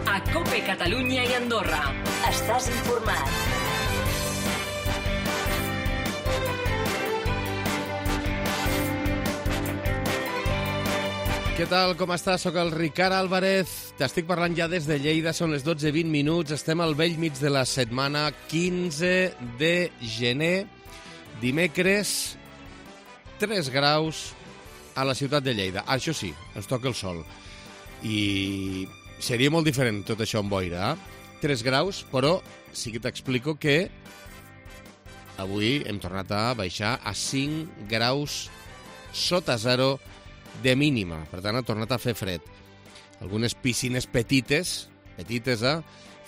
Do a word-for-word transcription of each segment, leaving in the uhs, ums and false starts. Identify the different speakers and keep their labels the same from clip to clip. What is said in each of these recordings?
Speaker 1: a COPE Catalunya i Andorra. Estàs informat.
Speaker 2: Què tal, com estàs? Soc el Ricard Álvarez. T'estic parlant ja des de Lleida. Són les dotze i vint minuts. Estem al bell mig de la setmana, quinze de gener. Dimecres, tres graus a la ciutat de Lleida. Això sí, ens toca el sol. I seria molt diferent tot això amb boira, eh? tres graus, però sí que t'explico que avui hem tornat a baixar a cinc graus sota zero de mínima. Per tant, ha tornat a fer fred. Algunes piscines petites, petites, eh?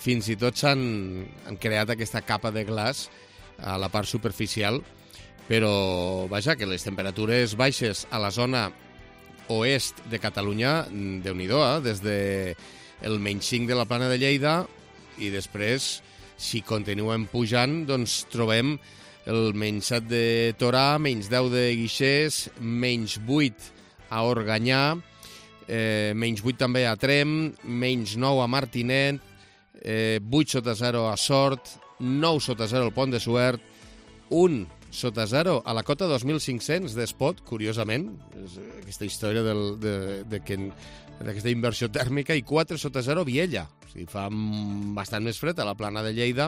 Speaker 2: Fins i tot s'han han creat aquesta capa de glaç a la part superficial, però, vaja, que les temperatures baixes a la zona oest de Catalunya, déu-n'hi-do, eh? Des de el menys cinc de la Plana de Lleida, i després, si continuem pujant, doncs trobem el menys set de Torà, menys deu de Guixers, menys vuit a Organyà, eh, menys vuit també a Trem, menys nou a Martinet, eh, vuit sota zero a Sort, nou sota zero al Pont de Suert, un sota zero a la cota dos mil cinc-cents d'Espot, curiosament, és aquesta història del, de, de que, d'aquesta inversió tèrmica, i quatre sota zero a Viella. O sigui, fa bastant més fred a la Plana de Lleida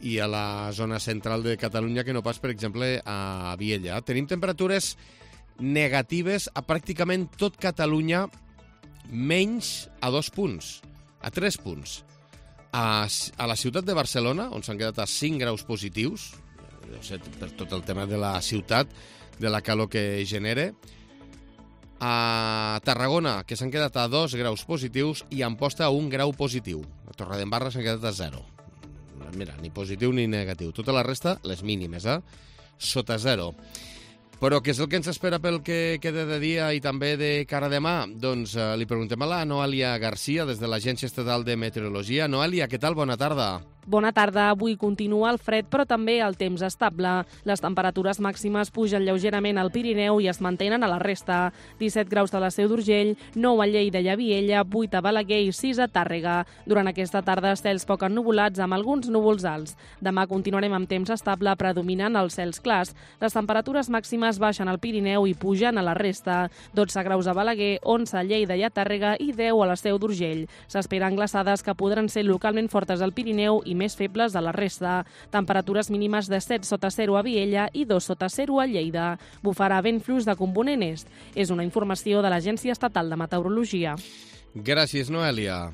Speaker 2: i a la zona central de Catalunya que no pas, per exemple, a Viella. Tenim temperatures negatives a pràcticament tot Catalunya, menys a dos punts, a tres punts. A, a la ciutat de Barcelona, on s'han quedat a cinc graus positius, no sé, per tot el tema de la ciutat, de la calor que genera. A Tarragona, que s'han quedat a dos graus positius, i a Amposta a un grau positiu. A Torredembarra s'han quedat a zero. Mira, ni positiu ni negatiu. Tota la resta, les mínimes, eh? Sota zero. Però què és el que ens espera pel que queda de dia i també de cara a demà? Doncs eh, li preguntem a la Noelia Garcia, des de l'Agència Estatal de Meteorologia. Noelia, què tal? Bona tarda.
Speaker 3: Bona tarda. Avui continua el fred, però també el temps estable. Les temperatures màximes pugen lleugerament al Pirineu i es mantenen a la resta. disset graus a la Seu d'Urgell, nou a Lleida i a Viella, vuit a Balaguer i sis a Tàrrega. Durant aquesta tarda, cels poc ennuvolats amb alguns núvols alts. Demà continuarem amb temps estable, predominant els cels clars. Les temperatures màximes baixen al Pirineu i pugen a la resta. dotze graus a Balaguer, onze a Lleida i a Tàrrega i deu a la Seu d'Urgell. S'esperen glaçades que podran ser localment fortes al Pirineu i més febles a la resta. Temperatures mínimes de set sota zero a Viella i dos sota zero a Lleida. Bufarà vent fluix de component est. És una informació de l'Agència Estatal de Meteorologia.
Speaker 2: Gràcies, Noelia.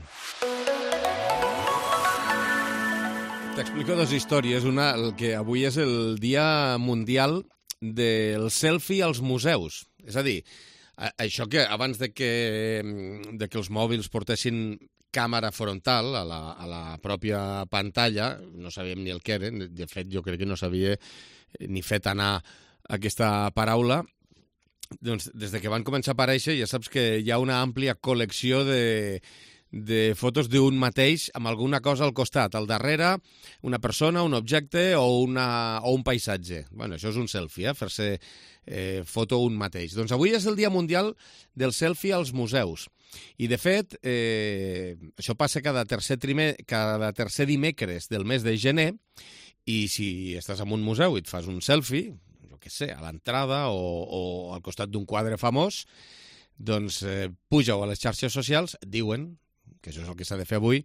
Speaker 2: T'explico dues històries. Una, el que avui és el Dia Mundial del Selfie als museus. És a dir, això que abans de que, de que els mòbils portessin càmera frontal a la, a la pròpia pantalla, no sabíem ni el que era, de fet jo crec que no sabia ni fet anar aquesta paraula, doncs des de que van començar a aparèixer ja saps que hi ha una àmplia col·lecció de, de fotos d'un mateix amb alguna cosa al costat, al darrere una persona, un objecte o, una, o un paisatge. Bueno, això és un selfie, eh? Fer-se eh, foto un mateix. Doncs avui és el Dia Mundial del Selfie als museus. I, de fet, eh, això passa cada tercer, trimer, cada tercer dimecres del mes de gener, i si estàs en un museu i et fas un selfie, jo què sé, a l'entrada o, o al costat d'un quadre famós, doncs eh, puja-ho a les xarxes socials, diuen, que això és el que s'ha de fer avui,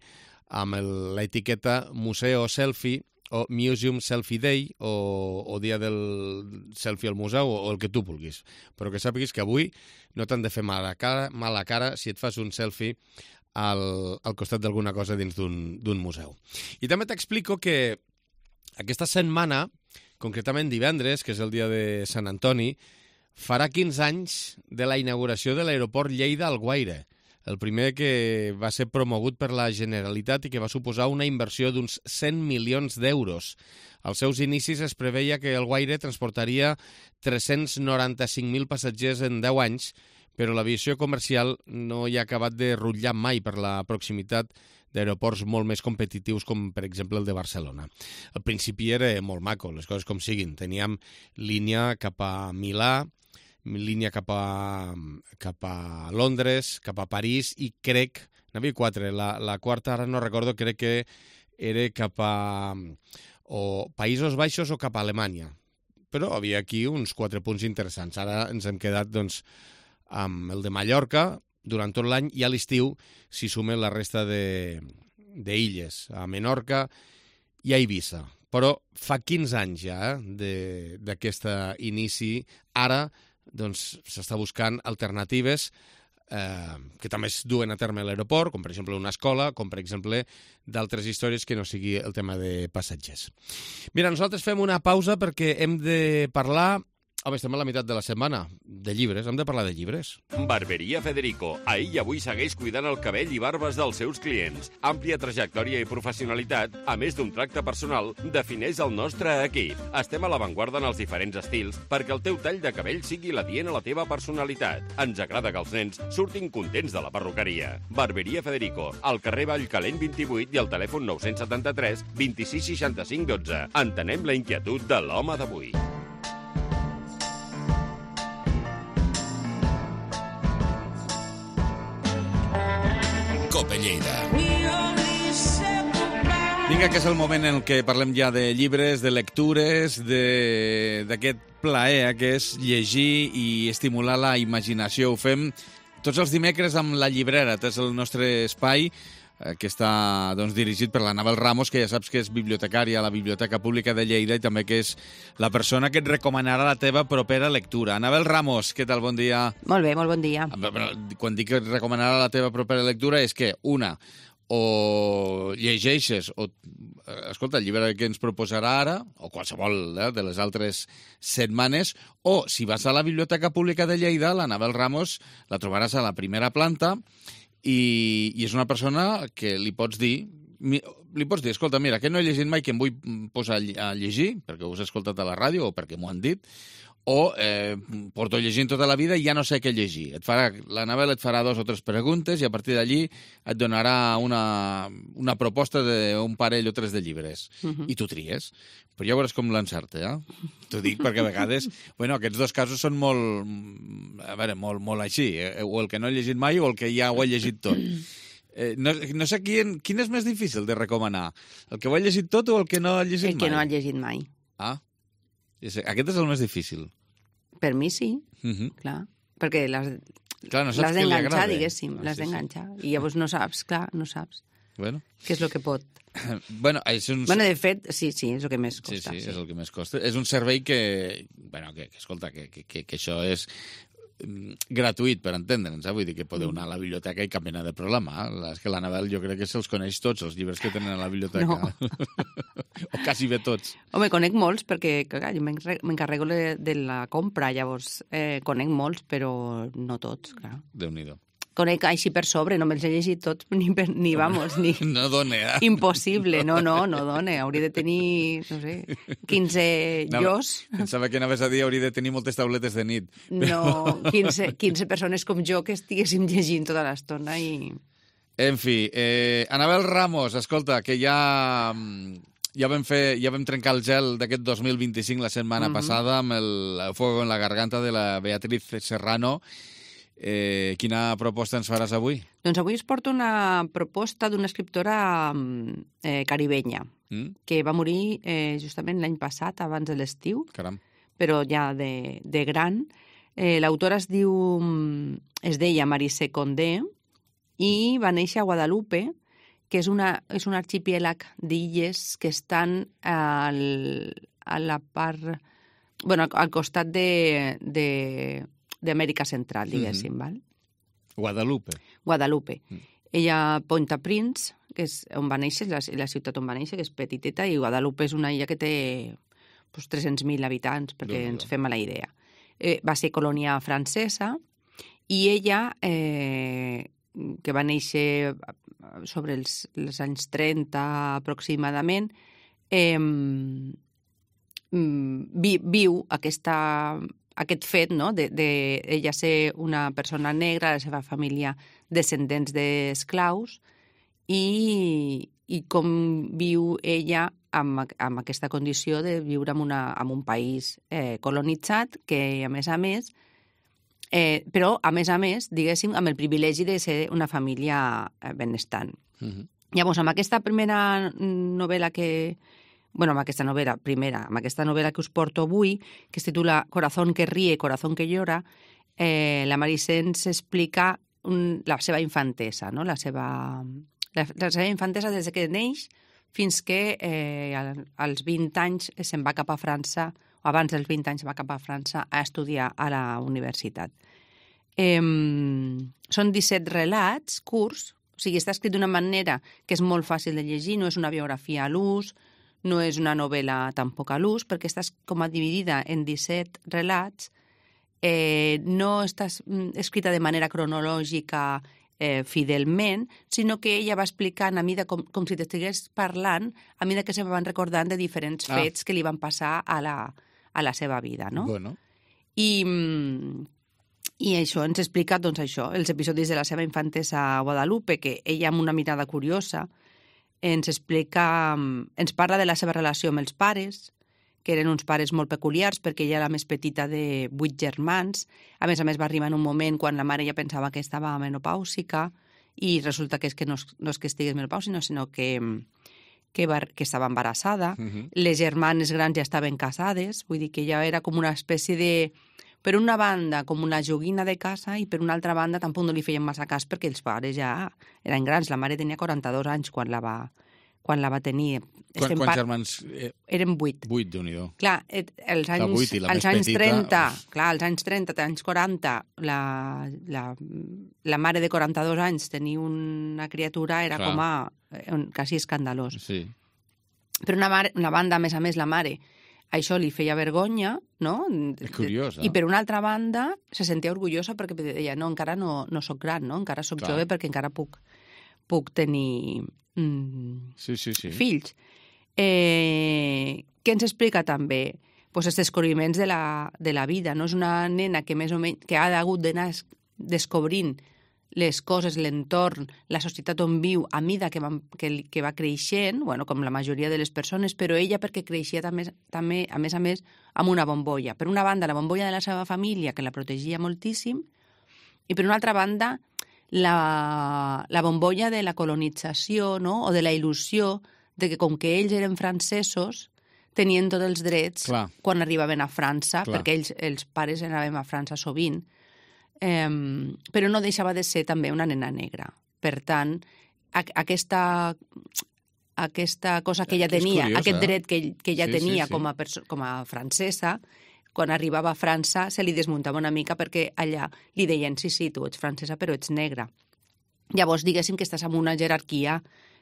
Speaker 2: amb l'etiqueta Museo Selfie o Museum Selfie Day o, o Dia del Selfie al Museu o, o el que tu vulguis. Però que sàpiguis que avui no t'han de fer mala cara, mala cara si et fas un selfie al, al costat d'alguna cosa dins d'un museu. I també t'explico que aquesta setmana, concretament divendres, que és el dia de Sant Antoni, farà quinze anys de la inauguració de l'aeroport Lleida-Alguaire, el primer que va ser promogut per la Generalitat i que va suposar una inversió d'uns cent milions d'euros. Als seus inicis es preveia que Alguaire transportaria tres-cents noranta-cinc mil passatgers en deu anys, però l'aviació comercial no hi ha acabat de rutllar mai per la proximitat d'aeroports molt més competitius com, per exemple, el de Barcelona. Al principi era molt maco, les coses com siguin. Teníem línia cap a Milà, línia cap a, cap a Londres, cap a París, i crec, N'hi havia quatre. La, la quarta, ara no recordo, crec que era cap a o Països Baixos o cap a Alemanya. Però havia aquí uns quatre punts interessants. Ara ens hem quedat doncs, amb el de Mallorca durant tot l'any i a l'estiu s'hi sumen la resta d'illes, a Menorca i a Eivissa. Però fa quinze anys ja eh, d'aquest inici. Ara doncs, s'està buscant alternatives eh, que també es duen a terme a l'aeroport, com per exemple una escola, com per exemple d'altres històries que no sigui el tema de passatgers. Mira, nosaltres fem una pausa perquè hem de parlar... Home, estem a la meitat de la setmana, de llibres, hem de parlar de llibres.
Speaker 4: Barberia Federico. Ahir i avui segueix cuidant el cabell i barbes dels seus clients. Àmplia trajectòria i professionalitat, a més d'un tracte personal, defineix el nostre equip. Estem a l'avantguarda en els diferents estils perquè el teu tall de cabell sigui l'adient a la teva personalitat. Ens agrada que els nens surtin contents de la perruqueria. Barberia Federico, al carrer Vallcalent vint-i-vuit i al telèfon nou setanta-tres vint-i-sis seixanta-cinc dotze. Entenem la inquietud de l'home d'avui.
Speaker 5: Vinga, que és el moment en què parlem ja de llibres, de lectures, d'aquest plaer que és llegir i estimular la imaginació. Ho fem tots els dimecres amb La Llibrera. És el nostre espai eh, que està doncs, dirigit per l'Anabel Ramos, que ja saps que és bibliotecària a la Biblioteca Pública de Lleida i també que és la persona que et recomanarà la teva propera lectura. Anabel Ramos, què tal? Bon dia.
Speaker 6: Molt bé, molt bon dia.
Speaker 5: Quan dic que et recomanarà la teva propera lectura és que, una, o llegeixes, o, escolta, el llibre que ens proposarà ara, o qualsevol eh, de les altres setmanes, o si vas a la Biblioteca Pública de Lleida, l'Anabel Ramos la trobaràs a la primera planta i, i és una persona que li pots dir, li pots dir, escolta, mira, que no he llegit mai, que em vull posar a llegir, perquè ho has escoltat a la ràdio o perquè m'ho han dit, o eh, porto llegint tota la vida i ja no sé què llegir. Et farà, l'Anabel et farà dos o tres preguntes i a partir d'allí et donarà una, una proposta d'un parell o tres de llibres. Uh-huh. I tu tries. Però ja veuràs com l'encerta, eh? T'ho dic perquè a vegades... Bueno, aquests dos casos són molt... A veure, molt, molt així. Eh? O el que no he llegit mai o el que ja ho he llegit tot. Eh, no, no sé quin, quin és més difícil de recomanar. El que ho ha llegit tot o el que no ha llegit mai?
Speaker 6: El que no ha llegit mai.
Speaker 5: Ah, aquest és el més difícil.
Speaker 6: Per mi sí,
Speaker 5: uh-huh.
Speaker 6: clar. Perquè l'has
Speaker 5: no
Speaker 6: d'enganxar, diguéssim.
Speaker 5: Ah,
Speaker 6: l'has
Speaker 5: sí,
Speaker 6: d'enganxar.
Speaker 5: sí.
Speaker 6: I llavors no saps, clar, no saps.
Speaker 5: Bueno.
Speaker 6: Què és el que pot.
Speaker 5: Bueno, és un...
Speaker 6: bueno, de fet, sí, sí, és el que més costa.
Speaker 5: Sí, sí, sí, és el que més costa. És un servei que, bueno, que, que escolta, que, que, que això és gratuït, per entendre'ns, eh? Vull dir que podeu anar a la biblioteca i cap mena de problema. Eh? És que l'Anabel jo crec que se'ls coneix tots, els llibres que tenen a la biblioteca.
Speaker 6: No.
Speaker 5: O quasi bé tots.
Speaker 6: Home, conec molts, perquè clar, jo m'encarrego de la compra, llavors eh, conec molts, però no tots, clar.
Speaker 5: Déu-n'hi-do.
Speaker 6: Conec així per sobre, no me'ls he llegit tots, ni, per, ni vamos, ni...
Speaker 5: No dona, eh?
Speaker 6: Impossible, no, no, no dona. Hauria de tenir, no sé, quinze llos.
Speaker 5: Pensava que anaves a dir hauria de tenir moltes tauletes de nit.
Speaker 6: No, quinze, quinze persones com jo que estiguéssim llegint tota l'estona i...
Speaker 5: En fi, eh, Anabel Ramos, escolta, que ja... Ja vam, fer, ja vam trencar el gel d'aquest dos mil vint-i-cinc la setmana uh-huh. passada amb el Fuego en la Garganta de la Beatriz Serrano. Eh, quina proposta ens faràs avui?
Speaker 6: Doncs avui es porta una proposta d'una escriptora eh, caribenya mm? que va morir eh, justament l'any passat, abans de l'estiu,
Speaker 5: Caram.
Speaker 6: Però ja de, de gran. Eh, L'autora es diu, es deia Marise Condé i va néixer a Guadalupe, que és, una, és un arxipièlag d'illes que estan al, a la part... Bueno, al costat de... de d'Amèrica Central, diguéssim, mm-hmm. val?
Speaker 5: Guadalupe.
Speaker 6: Guadalupe. Mm. Ella, Port-au-Prince, que és on va néixer, la, la ciutat on va néixer, que és petiteta, i Guadalupe és una illa que té pues, tres-cents mil habitants, perquè ens fem a la idea. Eh, va ser colònia francesa, i ella, eh, que va néixer sobre els, els anys trenta aproximadament, eh, vi, viu aquesta... aquest fet, no?, de, de ella ser una persona negra, la seva família descendents d'esclaus, i, i com viu ella amb, amb aquesta condició de viure en, una, en un país eh, colonitzat, que, a més a més, Eh, però, a més a més, diguéssim, amb el privilegi de ser una família benestant.
Speaker 5: Uh-huh.
Speaker 6: Llavors, amb aquesta primera novel·la que... bueno, amb aquesta novel·la primera, amb aquesta novel·la que us porto avui, que es titula Corazón que ríe, corazón que llora, eh, la Meritxell ens explica un, la seva infantesa, no? la, seva, la, la seva infantesa des que neix fins que eh, als vint anys se'n va cap a França, o abans dels vint anys va cap a França a estudiar a la universitat. Eh, són disset relats curts, o sigui, està escrit d'una manera que és molt fàcil de llegir, no és una biografia a l'ús, no és una novel·la tampoc a l'ús, perquè està com a dividida en disset relats, eh, no està escrita de manera cronològica eh, fidelment, sinó que ella va explicant a mida com, com si t'estigués parlant, a mida que se van recordant de diferents
Speaker 5: Ah.
Speaker 6: fets que li van passar a la, a la seva vida, no?
Speaker 5: Bueno,
Speaker 6: I, I això ens explica, doncs, això, els episodis de la seva infantesa a Guadalupe, que ella, amb una mirada curiosa, ens explica, ens parla de la seva relació amb els pares, que eren uns pares molt peculiars, perquè ella era la més petita de vuit germans. A més a més, va arribar en un moment quan la mare ja pensava que estava menopàusica i resulta que, és que no, no és que estigués menopàusica, sinó que, que, va, que estava embarassada.
Speaker 5: uh-huh.
Speaker 6: Les germanes grans ja estaven casades, vull dir que ella era com una espècie de... Per una banda, com una joguina de casa, i per una altra banda tampoc no li feien massa cas perquè els pares ja eren grans. La mare tenia quaranta-dos anys quan la va, quan la va tenir.
Speaker 5: Quan,
Speaker 6: Estem
Speaker 5: quants
Speaker 6: par-
Speaker 5: germans? Eh,
Speaker 6: Eren vuit.
Speaker 5: vuit, Déu-n'hi-do.
Speaker 6: Clar, et- els
Speaker 5: La
Speaker 6: anys,
Speaker 5: vuit i la
Speaker 6: als
Speaker 5: més
Speaker 6: anys
Speaker 5: petita,
Speaker 6: trenta,
Speaker 5: uf.
Speaker 6: clar, als anys trenta, als anys quaranta, la, la, la mare de quaranta-dos anys tenir una criatura era
Speaker 5: Clar.
Speaker 6: com a eh, quasi escandalós.
Speaker 5: Sí.
Speaker 6: Per una, mare, una banda, a més a més, la mare, això li feia vergonya, no?
Speaker 5: És curiós, eh?
Speaker 6: I per una altra banda, se sentia orgullosa perquè deia, no, encara no, no sóc gran, no? Encara sóc
Speaker 5: Clar.
Speaker 6: jove perquè encara puc, puc tenir mm,
Speaker 5: Sí, sí, sí.
Speaker 6: fills. Eh, què ens explica també? Pues els descobriments de la, de la vida, no? És una nena que més o menys que ha hagut d'anar es- descobrint les coses, l'entorn, la societat on viu, a mida que va, que, que va creixent, bueno, com la majoria de les persones, però ella perquè creixia també, també, a més a més, amb una bombolla. Per una banda, la bombolla de la seva família, que la protegia moltíssim, i per una altra banda, la, la bombolla de la colonització, no? O de la il·lusió de que com que ells eren francesos, tenien tots els drets
Speaker 5: Clar.
Speaker 6: quan arribaven a França,
Speaker 5: Clar.
Speaker 6: perquè ells, els pares anàvem a França sovint, eh, però no deixava de ser també una nena negra. Per tant, a, aquesta, aquesta cosa que ella
Speaker 5: És
Speaker 6: tenia,
Speaker 5: curiós,
Speaker 6: aquest
Speaker 5: eh?
Speaker 6: dret que, que ella
Speaker 5: Sí, sí,
Speaker 6: tenia
Speaker 5: sí.
Speaker 6: com a, perso- com a francesa, quan arribava a França se li desmuntava una mica perquè allà li deien sí, sí, tu ets francesa però ets negra. Llavors, diguéssim que estàs en una jerarquia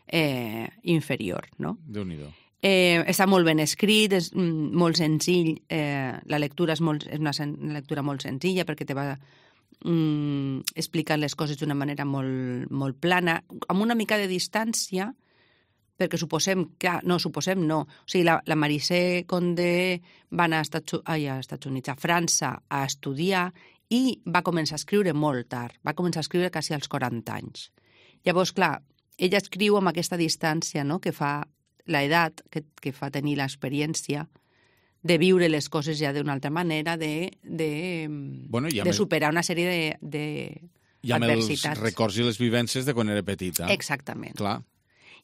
Speaker 6: eh, inferior, no?
Speaker 5: Déu-n'hi-do.
Speaker 6: Eh, està molt ben escrit, és mm, molt senzill, eh, la lectura és, molt, és una, sen una lectura molt senzilla perquè te va mm, explicant les coses d'una manera molt, molt plana, amb una mica de distància, perquè suposem, clar, no, suposem no. O sigui, la, la Meritxell Condé va anar a Estats, ai, a Estats Units, a França, a estudiar i va començar a escriure molt tard. Va començar a escriure quasi als quaranta anys. Llavors, clar, ella escriu amb aquesta distància, no?, que fa l'edat, que, que fa tenir l'experiència de viure les coses ja d'una altra manera, de, de,
Speaker 5: Bueno, i amb
Speaker 6: de
Speaker 5: el-
Speaker 6: superar una sèrie de, de
Speaker 5: I amb els
Speaker 6: adversitats.
Speaker 5: records i les vivències de quan era petita.
Speaker 6: Exactament.
Speaker 5: Clar.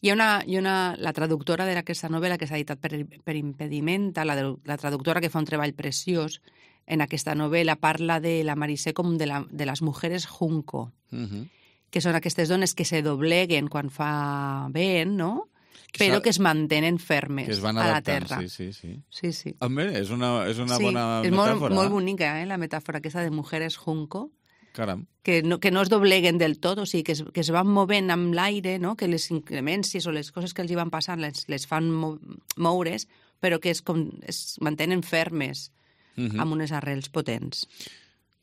Speaker 6: Hi ha una, hi ha una, la traductora d'aquesta novel·la que s'ha editat per, per Impedimenta, la, de, la traductora que fa un treball preciós en aquesta novel·la, parla de la Meritxell com de, la, de les mujeres junco,
Speaker 5: Uh -huh.
Speaker 6: que són aquestes dones que se dobleguen quan fa vent, no?,
Speaker 5: Que
Speaker 6: però
Speaker 5: s'ha-
Speaker 6: que es mantenen fermes
Speaker 5: Que es van
Speaker 6: a la
Speaker 5: adaptant,
Speaker 6: terra.
Speaker 5: sí, sí, sí.
Speaker 6: Sí, sí.
Speaker 5: Home, és una, és una
Speaker 6: sí,
Speaker 5: bona
Speaker 6: és
Speaker 5: metàfora.
Speaker 6: molt, molt bonica, eh, la metàfora aquesta de mujeres junco,
Speaker 5: Caram.
Speaker 6: que no, que no es dobleguen del tot, o sigui, que es, que es van movent amb l'aire, no? Que les inclemències o les coses que els hi van passant les, les fan mo moure's, però que es, com, es mantenen fermes,
Speaker 5: Uh -huh.
Speaker 6: amb unes arrels potents.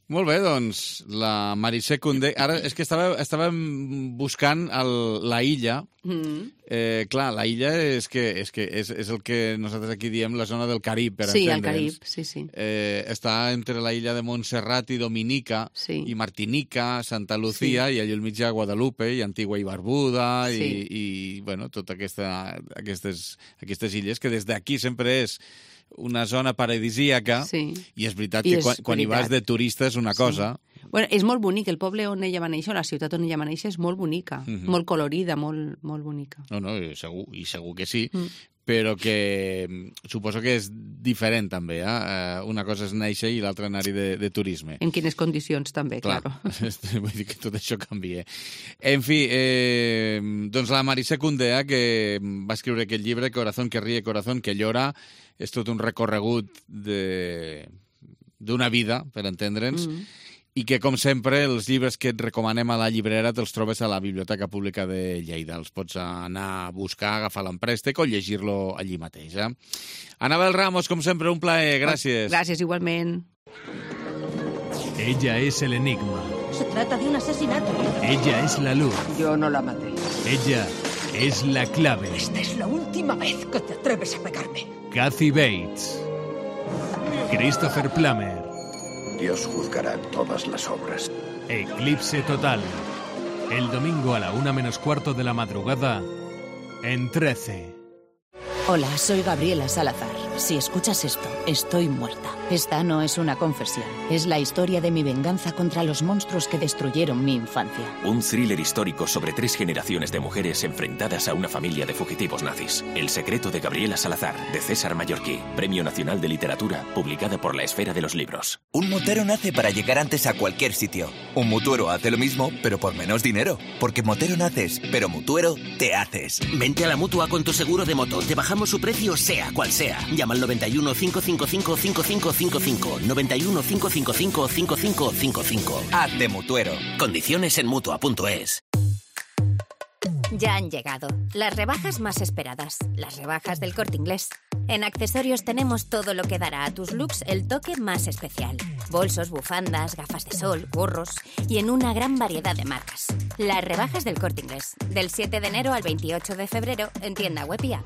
Speaker 5: Molt bé, doncs, la Meritxell Condé... Ara, és que estava, estàvem buscant el, la illa.
Speaker 6: Mm.
Speaker 5: Eh, clar, la illa és, que, és, que és, és el que nosaltres aquí diem la zona del Carib, per
Speaker 6: Sí, al
Speaker 5: entendre'ns.
Speaker 6: Carib, sí, sí.
Speaker 5: Eh, està entre la illa de Montserrat i Dominica,
Speaker 6: Sí.
Speaker 5: i Martinica, Santa Lucía, sí. i allà al mig hi ha Guadalupe, i Antigua i Barbuda,
Speaker 6: Sí.
Speaker 5: i, i bueno, totes aquesta, aquestes, aquestes illes, que des d'aquí sempre és una zona paradisíaca,
Speaker 6: Sí.
Speaker 5: i és veritat
Speaker 6: I
Speaker 5: que
Speaker 6: és
Speaker 5: quan, quan hi vas
Speaker 6: veritat.
Speaker 5: de turista és una
Speaker 6: Sí.
Speaker 5: cosa,
Speaker 6: Bueno, és molt bonic, el poble on ella va néixer, la ciutat on ella va néixer, és molt bonica, mm -hmm. molt colorida, molt, molt bonica.
Speaker 5: No, no, segur, i segur que sí, mm. però que suposo que és diferent també, eh? Una cosa és néixer i l'altra anar-hi de, de turisme.
Speaker 6: En quines condicions també, clar.
Speaker 5: Claro. Vull dir que tot això canvia. En fi, eh, doncs la Marisé Cundea, que va escriure aquest llibre, Corazón que ríe, corazón que llora, és tot un recorregut de... d'una vida, per entendre'ns, mm -hmm. i que, com sempre, els llibres que et recomanem a la llibrera te'ls trobes a la Biblioteca Pública de Lleida. Els pots anar a buscar, agafar l'emprèstec o llegir-lo allí mateix. Eh? Anabel Ramos, com sempre, un plaer. Gràcies.
Speaker 6: Gràcies, igualment.
Speaker 7: Ella es el enigma.
Speaker 8: Se trata de un asesinato.
Speaker 7: Ella es la luz.
Speaker 8: Yo no la maté.
Speaker 7: Ella es la clave.
Speaker 8: Esta es la última vez que te atreves a pegarme.
Speaker 7: Kathy Bates. Christopher Plummer.
Speaker 9: Dios juzgará todas las obras.
Speaker 7: Eclipse total. El domingo a la una menos cuarto de la madrugada en trece.
Speaker 10: Hola, soy Gabriela Salazar. Si escuchas esto, estoy muerta. Esta no es una confesión. Es la historia de mi venganza contra los monstruos que destruyeron mi infancia.
Speaker 11: Un thriller histórico sobre tres generaciones de mujeres enfrentadas a una familia de fugitivos nazis. El secreto de Gabriela Salazar, de César Mallorquí. Premio Nacional de Literatura, publicada por La Esfera de los Libros.
Speaker 12: Un motero nace para llegar antes a cualquier sitio. Un mutuero hace lo mismo, pero por menos dinero. Porque motero naces, pero mutuero te haces.
Speaker 13: Vente a la Mutua con tu seguro de moto. Te bajamos su precio sea cual sea. Llama al noventa y uno, cinco cinco cinco, cinco cinco cinco cinco. noventa y uno, cinco cinco cinco, cinco cinco cinco cinco.
Speaker 12: Hazte mutuero.
Speaker 13: Condiciones en Mutua punto es.
Speaker 14: Ya han llegado las rebajas más esperadas, las rebajas del Corte Inglés. En accesorios tenemos todo lo que dará a tus looks el toque más especial. Bolsos, bufandas, gafas de sol, gorros y en una gran variedad de marcas. Las rebajas del Corte Inglés, del siete de enero al veintiocho de febrero en tienda web y app.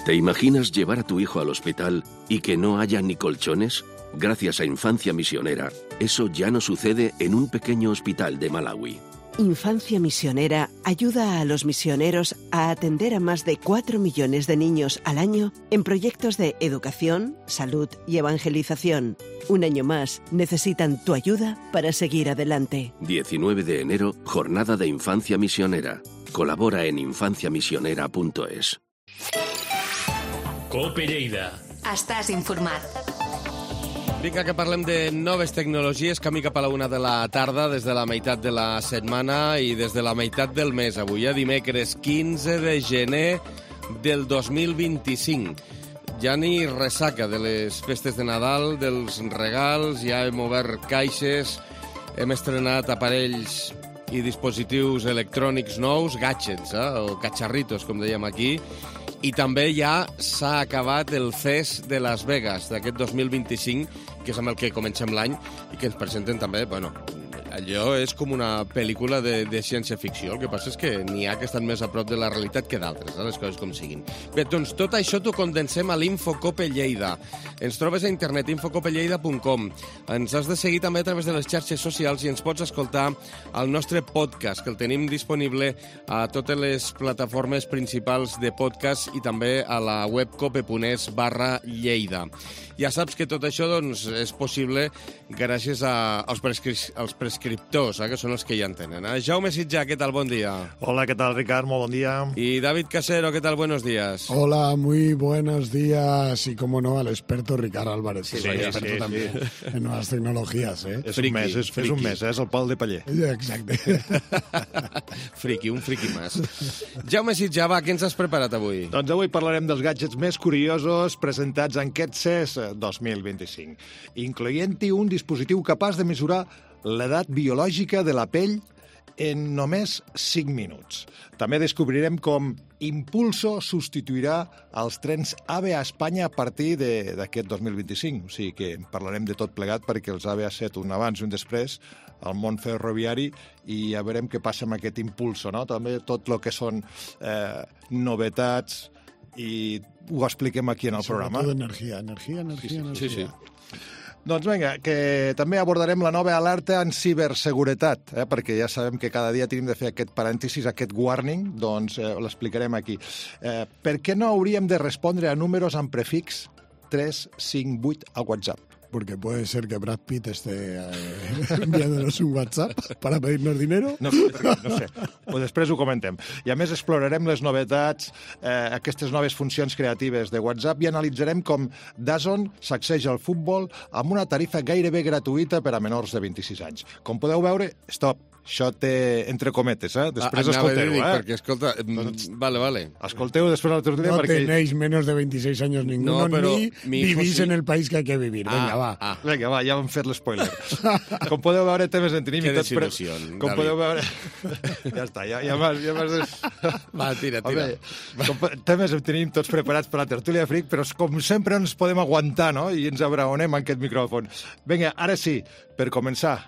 Speaker 15: ¿Te imaginas llevar a tu hijo al hospital y que no haya ni colchones? Gracias a Infancia Misionera, eso ya no sucede en un pequeño hospital de Malawi.
Speaker 16: Infancia Misionera ayuda a los misioneros a atender a más de cuatro millones de niños al año en proyectos de educación, salud y evangelización. Un año más, necesitan tu ayuda para seguir adelante.
Speaker 15: diecinueve de enero, Jornada de Infancia Misionera. Colabora en infancia misionera punto es.
Speaker 7: Cope Lleida.
Speaker 1: Estàs informat.
Speaker 2: Vinga, que parlem de noves tecnologies, camí cap a la una de la tarda, des de la meitat de la setmana i des de la meitat del mes. Avui, a dimecres quinze de gener del dos mil vint-i-cinc. Ja ni ressaca de les festes de Nadal, dels regals, ja hem obert caixes, hem estrenat aparells i dispositius electrònics nous, gadgets, eh? O cacharritos, com dèiem aquí, i també ja s'ha acabat el Fest de Las Vegas d'aquest dos mil vint-i-cinc, que és amb el que comencem l'any i que ens presenten també, bueno, allò és com una pel·lícula de, de ciència-ficció. El que passa és que n'hi ha que estan més a prop de la realitat que d'altres, eh, les coses com siguin. Bé, doncs tot això t'ho condensem a l'Infocope Lleida. Ens trobes a internet, infocope lleida punt com. Ens has de seguir també a través de les xarxes socials i ens pots escoltar al nostre podcast, que el tenim disponible a totes les plataformes principals de podcast i també a la web cope.es barra Lleida. Ja saps que tot això doncs, és possible gràcies a, als, prescri als prescriptors, eh, que són els que ja en tenen. Eh? Jaume Sitjà, què tal? Bon dia.
Speaker 17: Hola, ¿qué tal, Ricard? Muy buen día.
Speaker 2: Y David Casero, ¿qué tal? Buenos días.
Speaker 18: Hola, muy buenos días. Y, como no, al experto Ricard Álvarez, que
Speaker 17: sí,
Speaker 18: es
Speaker 17: sí,
Speaker 18: experto
Speaker 17: sí,
Speaker 18: también
Speaker 17: sí.
Speaker 18: en nuevas tecnologías. ¿eh?
Speaker 17: És un mes, és, és un mes, eh? és el Pol de Paller.
Speaker 18: Exacte.
Speaker 2: Friki, un friki més. Jaume Sitjà, va, què ens has preparat avui?
Speaker 17: Doncs avui parlarem dels gadgets més curiosos presentats en aquest C E S dos mil vint-i-cinc, incloent-hi un dispositiu capaç de mesurar l'edat biològica de la pell en només cinc minuts. També descobrirem com Impulso substituirà els trens AVE a Espanya a partir d'aquest dos mil vint-i-cinc. O sigui que parlarem de tot plegat perquè els AVE ha set un abans i un després al món ferroviari i ja veurem què passa amb aquest Impulso, no? També tot el que són eh, novetats i ho expliquem aquí en el programa.
Speaker 18: Sobretot energia, energia, energia,
Speaker 17: sí, sí,
Speaker 18: energia.
Speaker 17: Sí, sí. Doncs vinga, que també abordarem la nova alerta en ciberseguretat, eh? perquè ja sabem que cada dia tenim de fer aquest parèntesis, aquest warning, doncs eh, l'explicarem aquí. Eh, per què no hauríem de respondre a números amb prefix tres cinc vuit a WhatsApp?
Speaker 18: porque puede ser que Brad Pitt esté eh, enviándonos un WhatsApp para pedirnos dinero.
Speaker 17: No, no sé, o després ho comentem. I a més explorarem les novetats, eh, aquestes noves funcions creatives de WhatsApp i analitzarem com DAZN sacseja el futbol amb una tarifa gairebé gratuïta per a menors de vint-i-sis anys. Com podeu veure, stop, això té entre cometes, eh? Després
Speaker 2: Ah, anava a
Speaker 17: escolteu,
Speaker 2: dir,
Speaker 17: eh?
Speaker 2: perquè, escolta, mm, vale, vale.
Speaker 17: Escolteu després la tertúlia
Speaker 18: No
Speaker 17: perquè...
Speaker 18: tenéis menos de veintiséis años ninguno,
Speaker 2: No, pero
Speaker 18: ni
Speaker 2: mi hijo
Speaker 18: vivís
Speaker 2: sí.
Speaker 18: en el país que hay que vivir. Venga,
Speaker 2: Ah,
Speaker 18: va.
Speaker 2: ah.
Speaker 17: Vinga, va, ja vam fet l'espoiler. Com podeu veure, temes en tenim...
Speaker 2: Que
Speaker 17: i tots pre-
Speaker 2: desil·lusió,
Speaker 17: Com
Speaker 2: David.
Speaker 17: podeu veure... Ja està, ja, ja m'has... Ja m'has...
Speaker 2: Va, tira, tira.
Speaker 17: Home, com, temes en tenim tots preparats per la tertúlia fric, però com sempre no ens podem aguantar, no? I ens abraonem en aquest micròfon. Vinga, ara sí, per començar,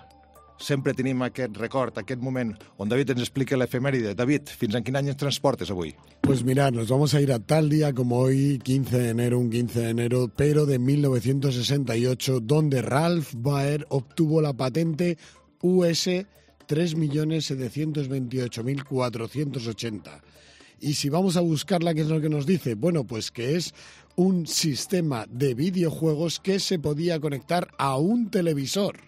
Speaker 17: sempre tenim aquest record, aquest moment on David ens explica l'efemèride. David, fins en quin any ens transportes avui?
Speaker 18: Pues mirad, nos vamos a ir a tal día como hoy, quince de enero, un quince de enero, pero de mil novecientos sesenta y ocho, donde Ralph Baer obtuvo la patente U S tres millones setecientos veintiocho mil cuatrocientos ochenta. Y si vamos a buscarla, ¿qué es lo que nos dice? Bueno, pues que es un sistema de videojuegos que se podía conectar a un televisor.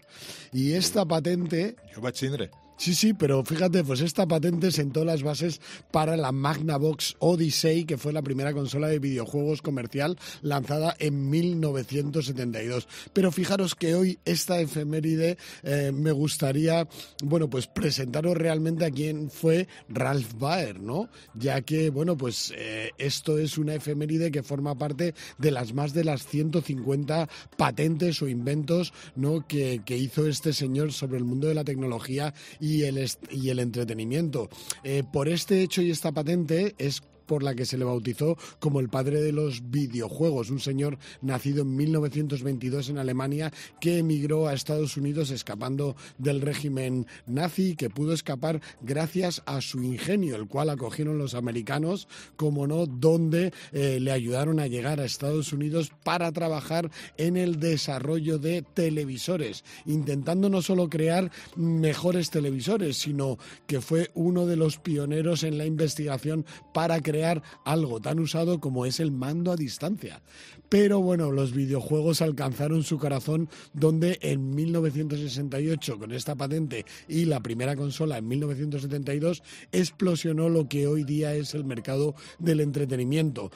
Speaker 18: Y esta patente...
Speaker 17: Jo vaig tindre.
Speaker 18: Sí, sí, pero fíjate, pues esta patente sentó las bases para la Magnavox Odyssey, que fue la primera consola de videojuegos comercial lanzada en mil novecientos setenta y dos. Pero fijaros que hoy esta efeméride eh, me gustaría, bueno, pues presentaros realmente a quién fue Ralph Baer, ¿no? Ya que, bueno, pues eh, esto es una efeméride que forma parte de las más de las ciento cincuenta patentes o inventos, ¿no?, que, que hizo este señor sobre el mundo de la tecnología y el, y el entretenimiento. Eh, por este hecho y esta patente es por la que se le bautizó como el padre de los videojuegos, un señor nacido en mil novecientos veintidós en Alemania que emigró a Estados Unidos escapando del régimen nazi, que pudo escapar gracias a su ingenio, el cual acogieron los americanos, como no, donde eh, le ayudaron a llegar a Estados Unidos para trabajar en el desarrollo de televisores, intentando no solo crear mejores televisores, sino que fue uno de los pioneros en la investigación para crear algo tan usado como es el mando a distancia. Pero bueno, los videojuegos alcanzaron su corazón donde en mil novecientos sesenta y ocho, con esta patente y la primera consola en mil novecientos setenta y dos, explosionó lo que hoy día es el mercado del entretenimiento.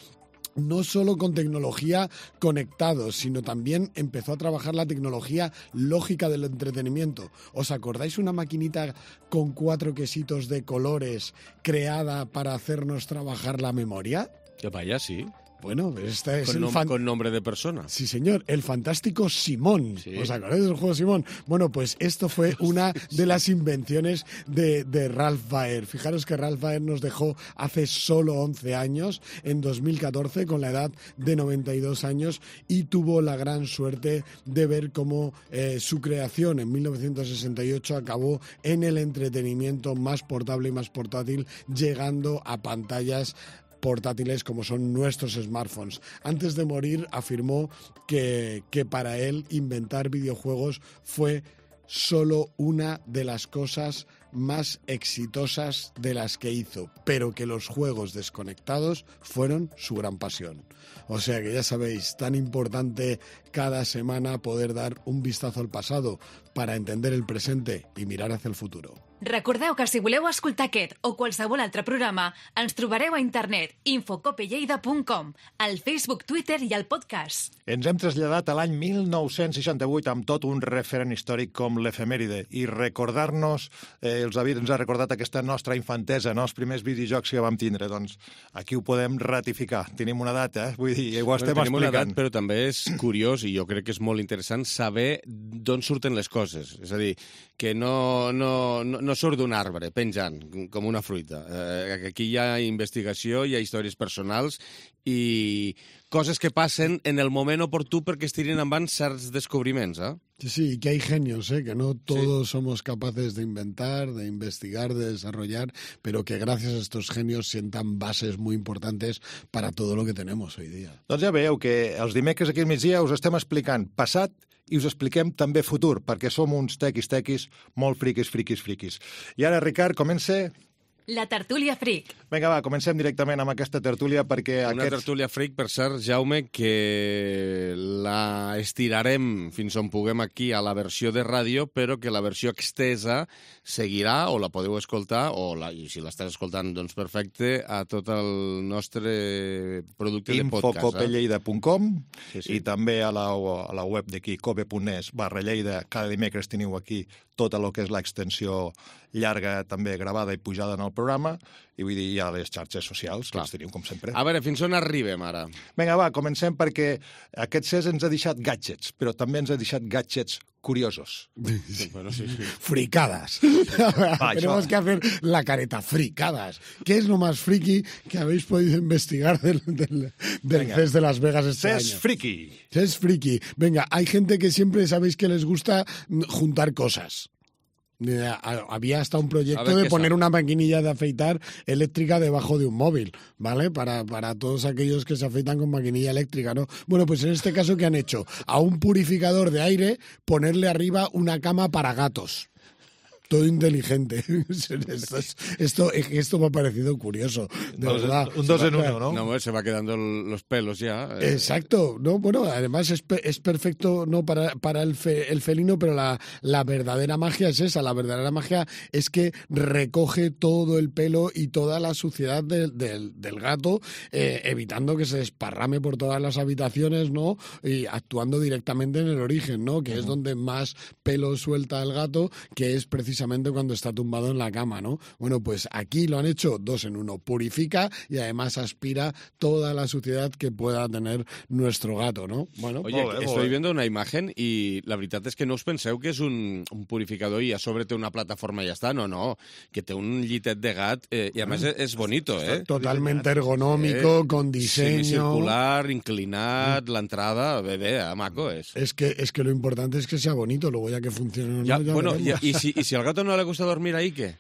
Speaker 18: No solo con tecnología conectados, sino también empezó a trabajar la tecnología lógica del entretenimiento. ¿Os acordáis una maquinita con cuatro quesitos de colores creada para hacernos trabajar la memoria?
Speaker 2: Que vaya, sí.
Speaker 18: Bueno, esta es
Speaker 2: con,
Speaker 18: el
Speaker 2: nom
Speaker 18: fan...
Speaker 2: con nombre de persona.
Speaker 18: Sí, señor, el fantástico Simón.
Speaker 2: Sí.
Speaker 18: ¿Os acordáis del juego Simón? Bueno, pues esto fue una de las invenciones de, de Ralph Baer. Fijaros que Ralph Baer nos dejó hace solo once años, en dos mil catorce, con la edad de noventa y dos años, y tuvo la gran suerte de ver cómo eh, su creación en mil novecientos sesenta y ocho acabó en el entretenimiento más portable y más portátil, llegando a pantallas portátiles como son nuestros smartphones. Antes de morir afirmó que, que para él inventar videojuegos fue solo una de las cosas más exitosas de las que hizo, pero que los juegos desconectados fueron su gran pasión. O sea que ya sabéis, tan importante cada semana poder dar un vistazo al pasado para entender el presente i mirar hacia el futuro.
Speaker 19: Recordeu que si voleu escoltar aquest o qualsevol altre programa, ens trobareu a internet infocopelleida punt com, al Facebook, Twitter i al podcast.
Speaker 17: Ens hem traslladat a l'any mil nou-cents seixanta-vuit amb tot un referent històric com l'efemèride i recordar-nos, eh, els David ens ha recordat aquesta nostra infantesa, no? Els primers videojocs que vam tindre, doncs aquí ho podem ratificar. Tenim una data, eh? Vull dir, ho estem
Speaker 2: bueno, tenim
Speaker 17: explicant.
Speaker 2: Una edat, però també és curiós i jo crec que és molt interessant saber d'on surten les coses. És a dir, que no, no, no, no surt d'un arbre penjant com una fruita. Eh, aquí hi ha investigació, hi ha històries personals i coses que passen en el moment oportú perquè es tirin endavant certs descobriments, eh?
Speaker 18: Sí, sí, y que hay genios, ¿eh? Que no todos sí. somos capaces de inventar, de investigar, de desarrollar, pero que gracias a estos genios sientan bases muy importantes para todo lo que tenemos hoy día.
Speaker 17: Doncs ja veieu que els dimecres aquí al migdia us estem explicant passat i us expliquem també futur, perquè som uns tequis-tequis molt friquis, friquis, friquis. I ara, Ricard, comença...
Speaker 19: La tertúlia fric.
Speaker 17: Vinga, va, comencem directament amb aquesta tertúlia perquè
Speaker 2: Una
Speaker 17: aquests...
Speaker 2: tertúlia fric, per cert, Jaume, que la estirarem fins on puguem aquí a la versió de ràdio, però que la versió extesa seguirà, o la podeu escoltar, o la, i si l'estàs escoltant, doncs perfecte, a tot el nostre producte de podcast.
Speaker 17: info cope lleida punt com
Speaker 2: Sí, sí.
Speaker 17: i també a la, a la web d'aquí, cope punt es barra Lleida. Cada dimecres teniu aquí tota el que és l'extensió llarga, també gravada i pujada en el programa, i vull dir, hi ha les xarxes socials, que les teniu com sempre.
Speaker 2: A veure, fins on arribem ara?
Speaker 17: Vinga, va, comencem perquè aquest C E S ens ha deixat gadgets, però també ens ha deixat gadgets curiosos.
Speaker 2: Bueno, sí, sí.
Speaker 18: Fricadas.
Speaker 17: Va,
Speaker 18: Tenemos
Speaker 17: això.
Speaker 18: que hacer la careta. Fricadas. ¿Qué es lo más friki que habéis podido investigar del, del, del
Speaker 17: Venga.
Speaker 18: C E S de Las Vegas este
Speaker 17: C E
Speaker 18: año?
Speaker 17: S friki.
Speaker 18: C E S friki. Venga, hay gente que siempre sabéis que les gusta mm, juntar cosas. Eh, a- Había hasta un
Speaker 2: A
Speaker 18: proyecto
Speaker 2: ver
Speaker 18: de
Speaker 2: qué
Speaker 18: poner
Speaker 2: sale.
Speaker 18: una maquinilla de afeitar eléctrica debajo de un móvil, ¿vale? Para, para todos aquellos que se afeitan con maquinilla eléctrica, ¿no? Bueno, pues en este caso, ¿qué han hecho? A un purificador de aire ponerle arriba una cama para gatos. Todo inteligente. Esto, es- esto, esto me ha parecido curioso, de
Speaker 17: Dos-
Speaker 18: verdad.
Speaker 17: un dos en uno, ¿no?
Speaker 2: No, hombre, se va quedando el- los pelos ya. eh.
Speaker 18: Exacto, no, bueno, además es, pe- es perfecto no para, para el, fe- el felino, pero la, la verdadera magia es esa, la verdadera magia es que recoge todo el pelo y toda la suciedad del, del, del gato, eh, evitando que se desparrame por todas las habitaciones, ¿no? Y actuando directamente en el origen, ¿no? Que es donde más pelo suelta el gato, que es precisamente cuando está tumbado en la cama, ¿no? Bueno, pues aquí lo han hecho dos en uno, purifica y además aspira toda la suciedad que pueda tener nuestro gato, ¿no? Bueno,
Speaker 2: Oye,
Speaker 17: Molt bé, molt
Speaker 2: estoy
Speaker 17: bé.
Speaker 2: viendo una imagen y la veritat és que no us penseu que és un, un purificador i a sobre té una plataforma i ja està. No, no, que té un llitet de gat eh, i a més és, és bonito, eh?
Speaker 18: totalmente ergonómico, con diseño.
Speaker 2: Semicircular, inclinat, l'entrada, bé, bé, eh, maco és.
Speaker 18: Es que, es que lo importante es que sea bonito, luego ya que funcione o no,
Speaker 2: Ja,
Speaker 18: ya
Speaker 2: bueno,
Speaker 18: veremos.
Speaker 2: i, i, si, i si al gato no le gusta dormir ahí, què?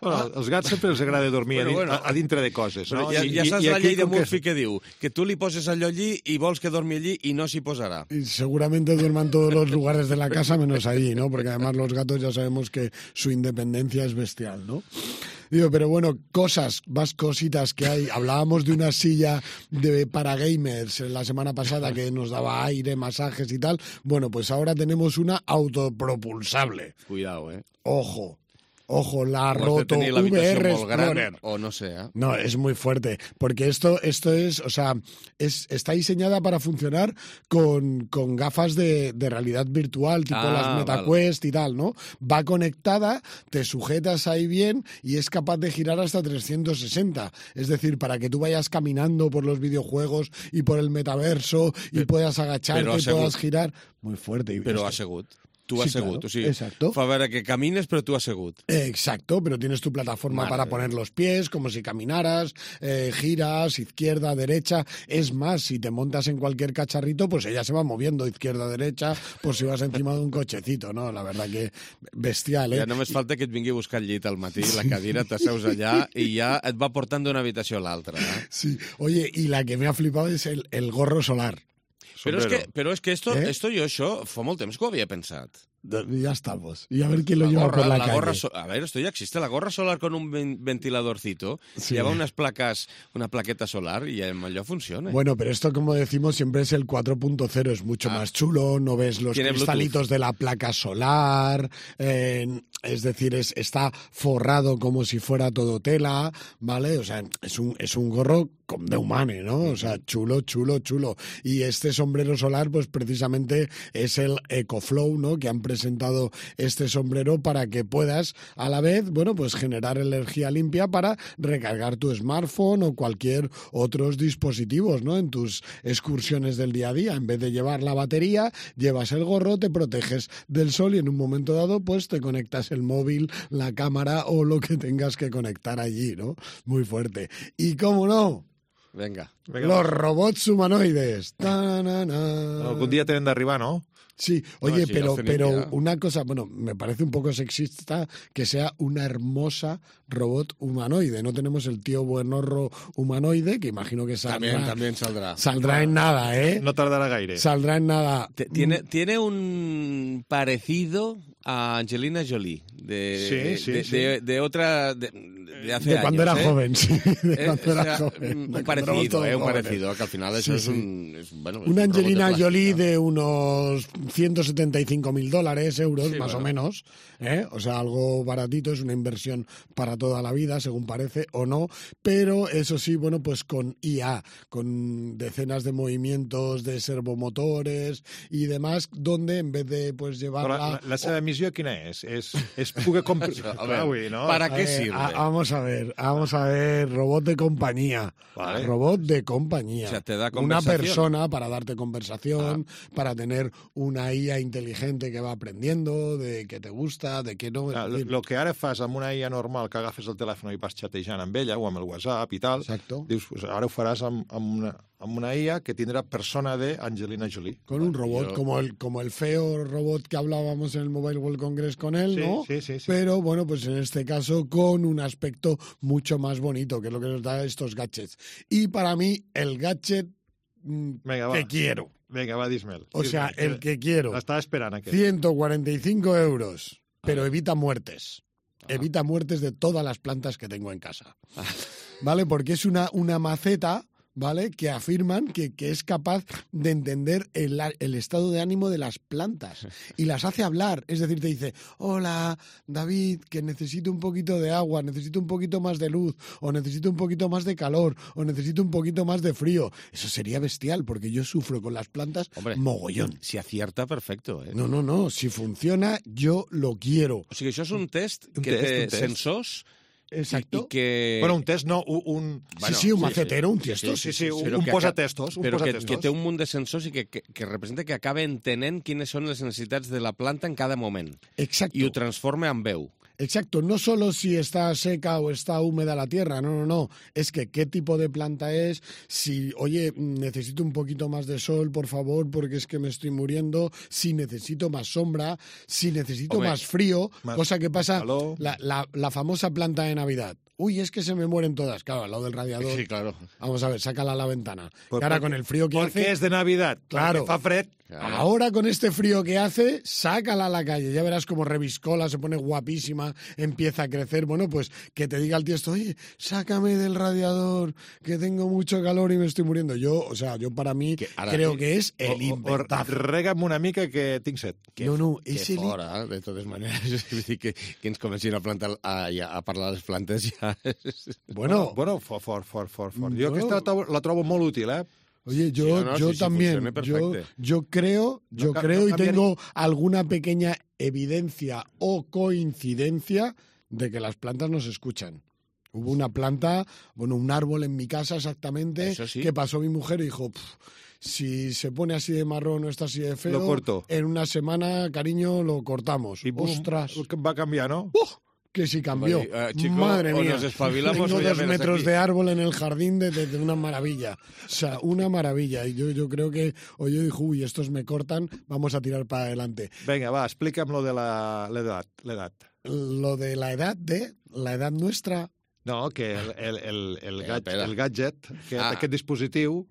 Speaker 17: Bueno, als gats sempre els agrada dormir
Speaker 2: Bueno,
Speaker 17: a, din-
Speaker 2: bueno.
Speaker 17: a, a dintre de coses,
Speaker 2: Però
Speaker 17: no?
Speaker 2: ja,
Speaker 17: I-
Speaker 2: ja
Speaker 17: i-
Speaker 2: saps
Speaker 17: i
Speaker 2: la
Speaker 17: aquí
Speaker 2: llei de
Speaker 17: com que
Speaker 2: Murphy que diu que tu li poses allò allí i vols que dormi allí i no s'hi posarà.
Speaker 18: Y seguramente duerman todos los lugares de la casa menos allí, ¿no? Porque además los gatos ya sabemos que su independencia es bestial, ¿no? Digo, pero bueno, cosas, más cositas que hay. Hablábamos de una silla de para gamers la semana pasada que nos daba aire, masajes y tal. Bueno, pues ahora tenemos una autopropulsable.
Speaker 2: Cuidado, eh?
Speaker 18: Ojo, ojo, la
Speaker 2: O has de
Speaker 18: Roto
Speaker 2: tenir
Speaker 18: V
Speaker 2: l'habitació
Speaker 18: R
Speaker 2: molt gran,
Speaker 18: Explorer.
Speaker 2: o no sé, eh?
Speaker 18: No, es muy fuerte, porque esto, esto es, o sea, es, está diseñada para funcionar con, con gafas de, de realidad virtual, tipo
Speaker 2: Ah,
Speaker 18: las MetaQuest y tal, ¿no? Va conectada, te sujetas ahí bien y es capaz de girar hasta trescientos sesenta. Es decir, para que tú vayas caminando por los videojuegos y por el metaverso y puedas agacharte
Speaker 2: però
Speaker 18: y puedas
Speaker 2: assegut.
Speaker 18: girar. Muy fuerte. Y
Speaker 2: Però
Speaker 18: esto-
Speaker 2: assegut. Tu
Speaker 18: Sí,
Speaker 2: assegut,
Speaker 18: claro,
Speaker 2: o sigui,
Speaker 18: exacto.
Speaker 2: fa veure que camines però tu assegut.
Speaker 18: Exacto, pero tienes tu plataforma
Speaker 2: Madre
Speaker 18: para
Speaker 2: mía.
Speaker 18: poner los pies, como si caminaras, eh, giras, izquierda, derecha. Es más, si te montas en cualquier cacharrito, pues ella se va moviendo izquierda, derecha, por si vas encima de un cochecito, ¿no? La verdad que bestial, ¿eh?
Speaker 2: Ja només falta que et vingui a buscar el llit al matí, la cadira, t'asseus allà i ja et va portant d'una habitació a l'altra. Eh?
Speaker 18: Sí, oye, y la que me ha flipado es el, el gorro solar.
Speaker 2: Però és, que, però és que esto,
Speaker 18: ¿Eh?
Speaker 2: esto jo això fa molt temps que ho havia pensat.
Speaker 18: Ya estamos. Y a ver quién lo
Speaker 2: La
Speaker 18: lleva
Speaker 2: gorra,
Speaker 18: por la,
Speaker 2: la
Speaker 18: calle.
Speaker 2: gorra so- a ver, esto ya existe, la gorra solar con un ven- ventiladorcito,
Speaker 18: Sí.
Speaker 2: lleva unas placas, una plaqueta solar y el allò funciona.
Speaker 18: Bueno, pero esto, como decimos, siempre es el cuatro punto cero, es mucho más chulo, no ves los
Speaker 2: Ah. Tiene
Speaker 18: cristalitos de la placa solar, eh, es decir, es, está forrado como si fuera todo tela, ¿vale? O sea, es un, es un gorro com de humane, ¿no? O sea, chulo, chulo, chulo. Y este sombrero solar, pues precisamente es el EcoFlow, ¿no? Que han presentado este sombrero para que puedas, a la vez, bueno, pues generar energía limpia para recargar tu smartphone o cualquier otros dispositivos, ¿no? En tus excursiones del día a día. En vez de llevar la batería, llevas el gorro, te proteges del sol y en un momento dado, pues te conectas el móvil, la cámara o lo que tengas que conectar allí, ¿no? Muy fuerte. Y cómo no,
Speaker 2: Venga.
Speaker 18: los robots humanoides. Ta-na-na.
Speaker 17: Algun dia tenen d'arribar, no?
Speaker 18: Sí, oye,
Speaker 2: No, sí,
Speaker 18: pero,
Speaker 2: hacen
Speaker 18: pero
Speaker 2: ya.
Speaker 18: una cosa, bueno, me parece un poco sexista que sea una hermosa robot humanoide. No tenemos el tío buenorro humanoide, que imagino que saldrá,
Speaker 2: También, también saldrá.
Speaker 18: saldrá en nada, ¿eh?
Speaker 17: No tardarà gaire.
Speaker 18: Saldrá en nada.
Speaker 2: Te- Tiene, tiene un parecido a Angelina Jolie, de,
Speaker 17: sí, sí,
Speaker 2: de,
Speaker 17: sí.
Speaker 2: de, de otra... De, de hace
Speaker 18: de
Speaker 2: años,
Speaker 18: cuando era
Speaker 2: ¿eh?
Speaker 18: joven, sí. De
Speaker 2: Eh,
Speaker 18: cuando
Speaker 2: o
Speaker 18: era
Speaker 2: sea,
Speaker 18: joven.
Speaker 2: Un
Speaker 18: De cuando
Speaker 2: parecido,
Speaker 18: éramos todos
Speaker 2: eh, un
Speaker 18: jóvenes.
Speaker 2: parecido, que al final eso
Speaker 18: Sí,
Speaker 2: es
Speaker 18: sí.
Speaker 2: un... Es, bueno, es
Speaker 18: Una
Speaker 2: un robot de
Speaker 18: Angelina
Speaker 2: plástico.
Speaker 18: Jolie de unos ciento setenta y cinco mil dólares, euros,
Speaker 2: Sí,
Speaker 18: más
Speaker 2: bueno.
Speaker 18: o menos. ¿eh? O sea, algo baratito, es una inversión para toda la vida, según parece, o no. Pero eso sí, bueno, pues con I A, con decenas de movimientos de servomotores y demás, donde en vez de pues
Speaker 17: Però
Speaker 18: llevarla...
Speaker 17: la, la seva missió quina és? És, és poder comprar...
Speaker 2: A ver,
Speaker 17: Ui, no?
Speaker 2: ¿para
Speaker 18: A
Speaker 2: qué
Speaker 18: ver,
Speaker 2: sirve?
Speaker 18: a- vamos a ver, vamos a ver, robot de compañía.
Speaker 17: Vale.
Speaker 18: Robot de compañía.
Speaker 2: O sea, te da
Speaker 18: una
Speaker 2: conversación.
Speaker 18: persona para darte conversación, para tener una I A inteligente que va aprendiendo de qué te gusta, de qué no. Es
Speaker 17: El
Speaker 18: decir,
Speaker 17: lo que ara fas amb una I A normal, que agafes el telèfon i vas xatejant amb ella, o amb el WhatsApp i tal,
Speaker 18: Exacto.
Speaker 17: dius, pues ara ho faràs amb, amb, una, amb una I A que tindrà persona de Angelina Jolie.
Speaker 18: con un robot,
Speaker 2: yo-
Speaker 18: como el como el feo robot que hablábamos en el Mobile World Congress con él,
Speaker 17: Sí,
Speaker 18: ¿no?
Speaker 17: sí, sí, sí.
Speaker 18: Pero bueno, pues en este caso con un aspecto mucho más bonito, que es lo que nos da estos gadgets. Y para mí, el gadget mm,
Speaker 17: Vinga, va.
Speaker 18: que quiero,
Speaker 17: Vinga, va, dis-me'l.
Speaker 18: o sea,
Speaker 17: Dis-me'l,
Speaker 18: el que quiero,
Speaker 17: L'estava esperant, aquest.
Speaker 18: ciento cuarenta y cinco euros, pero evita muertes. Evita muertes de todas las plantas que tengo en casa. ¿Vale? Porque es una, una maceta, ¿vale? Que afirman que, que es capaz de entender el, a- el estado de ánimo de las plantas y las hace hablar. Es decir, te dice, hola, David, que necesito un poquito de agua, necesito un poquito más de luz, o necesito un poquito más de calor, o necesito un poquito más de frío. Eso sería bestial, porque yo sufro con las plantas
Speaker 2: Hombre,
Speaker 18: mogollón.
Speaker 2: Si acierta, perfecto. Eh?
Speaker 18: No, no, no. Si funciona, yo lo quiero.
Speaker 2: O sigui, això és un test
Speaker 17: Un
Speaker 2: que
Speaker 17: test,
Speaker 2: té
Speaker 17: un test.
Speaker 2: sensors
Speaker 18: Exacto.
Speaker 2: i, i que...
Speaker 17: Bueno, un test no, un... un...
Speaker 18: Sí, sí, un macetero, un tiesto.
Speaker 17: Sí, sí, un,
Speaker 2: Però
Speaker 17: un
Speaker 2: que
Speaker 17: posatestos. Un
Speaker 2: però que,
Speaker 17: posatestos.
Speaker 2: que té un munt de sensors i que, que, que representa que acaba entenent quines són les necessitats de la planta en cada moment.
Speaker 18: Exacto.
Speaker 2: I ho transforma en veu.
Speaker 18: Exacto, no solo si está seca o está húmeda la tierra, no, no, no, es que qué tipo de planta es, si, oye, necesito un poquito más de sol, por favor, porque es que me estoy muriendo, si necesito más sombra, si necesito
Speaker 2: Hombre,
Speaker 18: más frío,
Speaker 17: más
Speaker 18: cosa que pasa,
Speaker 17: calor.
Speaker 18: la, la, la famosa planta de Navidad. Uy, es que se me mueren todas, claro, al lado del radiador.
Speaker 2: Sí, claro.
Speaker 18: Vamos a ver, sácala a la ventana.
Speaker 17: Pues
Speaker 18: Y ahora
Speaker 17: porque-
Speaker 18: con el frío que
Speaker 17: Porque
Speaker 18: hace...
Speaker 17: és de Navidad.
Speaker 18: Claro.
Speaker 17: Perquè fa fred.
Speaker 18: Ahora con este frío que hace, sácala a la calle. Ya verás como reviscola, se pone guapísima, empieza a crecer. Bueno, pues que te diga el tiesto, oye, sácame del radiador, que tengo mucho calor y me estoy muriendo. Yo, o sea, yo para mí
Speaker 2: ara-
Speaker 18: creo que es
Speaker 17: O,
Speaker 18: el
Speaker 17: o, o
Speaker 18: inventazo.
Speaker 17: rega'm una mica que tinc set.
Speaker 2: Que,
Speaker 18: No, no,
Speaker 2: que
Speaker 18: és el-
Speaker 2: fora, de totes maneres. Vull dir que, que ens comencin a, plantar, a, a parlar de les plantes ja...
Speaker 18: Bueno,
Speaker 17: Bueno, fort, fort, fort, fort. fort. Jo
Speaker 18: Bueno.
Speaker 17: aquesta la trobo, la trobo molt útil, eh?
Speaker 18: Oye, yo,
Speaker 2: Sí, no, no,
Speaker 18: yo
Speaker 2: sí, sí,
Speaker 18: también,
Speaker 2: funciona
Speaker 18: yo,
Speaker 2: perfecte.
Speaker 18: yo creo, yo
Speaker 17: No ca-
Speaker 18: creo
Speaker 17: no
Speaker 18: y
Speaker 17: cambiaría-
Speaker 18: tengo alguna pequeña evidencia o coincidencia de que las plantas nos escuchan. Hubo una planta, bueno, un árbol en mi casa exactamente,
Speaker 2: Eso sí.
Speaker 18: que pasó mi mujer y dijo, "Pf, si se pone así de marrón o está así de feo,
Speaker 17: Lo corto.
Speaker 18: en una semana, cariño, lo cortamos.
Speaker 17: I bum,
Speaker 18: Ostras,
Speaker 17: va canviar, no?
Speaker 18: que si cambió.
Speaker 2: Oye, eh, chico,
Speaker 18: Madre
Speaker 2: o
Speaker 18: mía,
Speaker 2: nos espabilamos
Speaker 18: tengo
Speaker 2: o ya
Speaker 18: dos
Speaker 2: verás
Speaker 18: metros
Speaker 2: aquí.
Speaker 18: de árbol en el jardín de, de- de una maravilla. O sea, una maravilla. Y yo, yo creo que, o yo dijo, uy, estos me cortan, vamos a tirar para adelante.
Speaker 17: Vinga, va, explica'm lo de la- l'edat. l'edat.
Speaker 18: Lo de la edad de, la edad nuestra,
Speaker 17: No, que el, el, el, el,
Speaker 2: Espera,
Speaker 17: gadget,
Speaker 2: espera.
Speaker 17: el gadget aquest,
Speaker 2: Ah.
Speaker 17: aquest dispositiu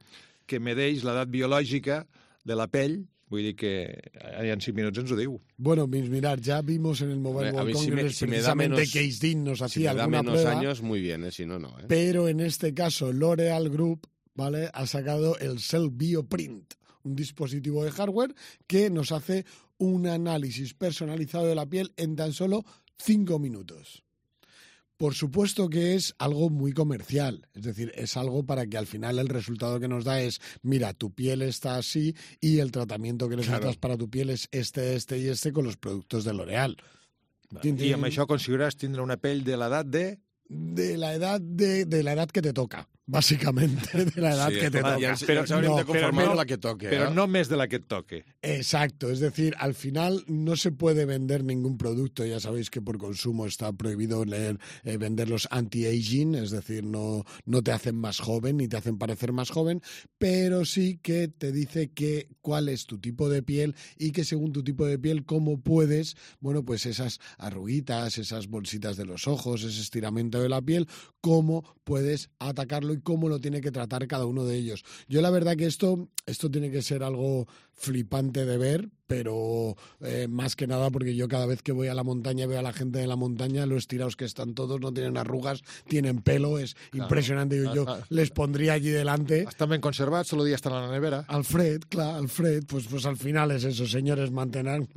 Speaker 17: que medeix l'edat biològica de la pell, vull dir que en cinc minuts ens ho diu.
Speaker 18: bueno, mis mirar, ya vimos en el Mobile
Speaker 2: A
Speaker 18: World
Speaker 2: mí si me-
Speaker 18: Congress
Speaker 2: si me da
Speaker 18: precisamente
Speaker 2: menos-
Speaker 18: que Case Dean nos
Speaker 2: Si
Speaker 18: hacía
Speaker 2: me da
Speaker 18: alguna
Speaker 2: menos
Speaker 18: prueba,
Speaker 2: años, muy bien, ¿eh? Si no, no. ¿eh?
Speaker 18: pero en este caso L'Oreal Group, ¿vale?, ha sacado el Cell Bioprint, un dispositivo de hardware que nos hace un análisis personalizado de la piel en tan solo cinco minutos. Por supuesto que es algo muy comercial, es decir, es algo para que al final el resultado que nos da es, mira, tu piel está así y el tratamiento que necesitas
Speaker 2: Claro.
Speaker 18: para tu piel es este, este y este con los productos de L'Oreal. Tin,
Speaker 17: I
Speaker 18: tin.
Speaker 17: amb això aconseguiràs tindre una pell de l'edat de...
Speaker 18: De la edad de, de la edad que te toca, básicamente, de la edad
Speaker 2: Sí,
Speaker 18: que te
Speaker 2: ja
Speaker 18: toca.
Speaker 2: ens- ja ens hauríem de conformar amb la que toque,
Speaker 17: Però
Speaker 2: eh?
Speaker 17: no més de la que et toque.
Speaker 18: Exacto, es decir, al final no se puede vender ningún producto, ya sabéis que por consumo está prohibido leer, eh, vender los anti-aging, es decir, no, no te hacen más joven ni te hacen parecer más joven, pero sí que te dice que cuál es tu tipo de piel y que según tu tipo de piel cómo puedes, bueno, pues esas arruguitas, esas bolsitas de los ojos, ese estiramiento de la piel, cómo puedes atacarlo y cómo lo tiene que tratar cada uno de ellos. Yo la verdad que esto, esto tiene que ser algo flipante de ver, pero eh, más que nada porque yo cada vez que voy a la montaña veo a la gente de la montaña, lo estirados que están todos, no tienen arrugas, tienen pelo, es claro. impresionante. Yo, yo les pondría allí delante.
Speaker 17: Estan ben conservats, solo dia estan a la nevera.
Speaker 18: Alfred, clar, Alfred, pues, pues al final es eso, señores, mantenernos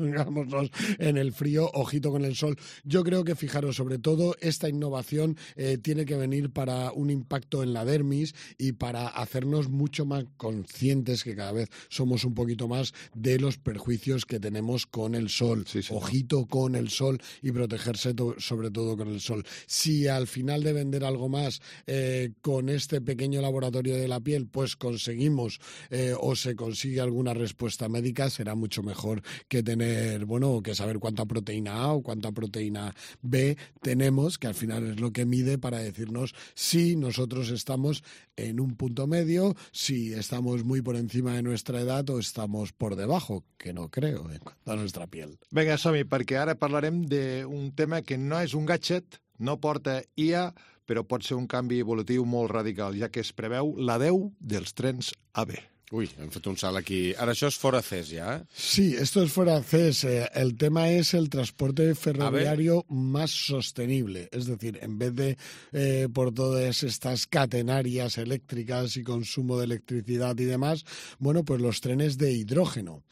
Speaker 18: en el frío, ojito con el sol. Yo creo que, fijaros, sobre todo, esta innovación eh, tiene que venir para un impacto en la dermis y para hacernos mucho más conscientes, que cada vez somos un poquito más, de los perjuicios que tenemos con el sol. Sí, sí, ojito ¿no? con el sol y protegerse to- sobre todo con el sol. Si al final de vender algo más eh, con este pequeño laboratorio de la piel, pues conseguimos eh, o se consigue alguna respuesta médica, será mucho mejor que tener, bueno, que saber cuánta proteína A o cuánta proteína B tenemos, que al final es lo que mide para decirnos si nosotros estamos en un punto medio, si estamos muy por encima de nuestra edad o estamos por debajo, que no creo, en cuanto a nuestra piel.
Speaker 17: Vinga, som-hi, perquè ara parlarem d'un tema que no és un gadget, no porta I A, però pot ser un canvi evolutiu molt radical, ja que es preveu l'adeu dels trens A V.
Speaker 2: Uy, hem fet un salt aquí. Ahora això es fora C E S ya, ¿eh?
Speaker 18: Sí, esto es fuera C E S. El tema es el transporte ferroviario más sostenible. Es decir, en vez de eh, por todas estas catenarias eléctricas y consumo de electricidad y demás, bueno, pues los trenes de hidrógeno.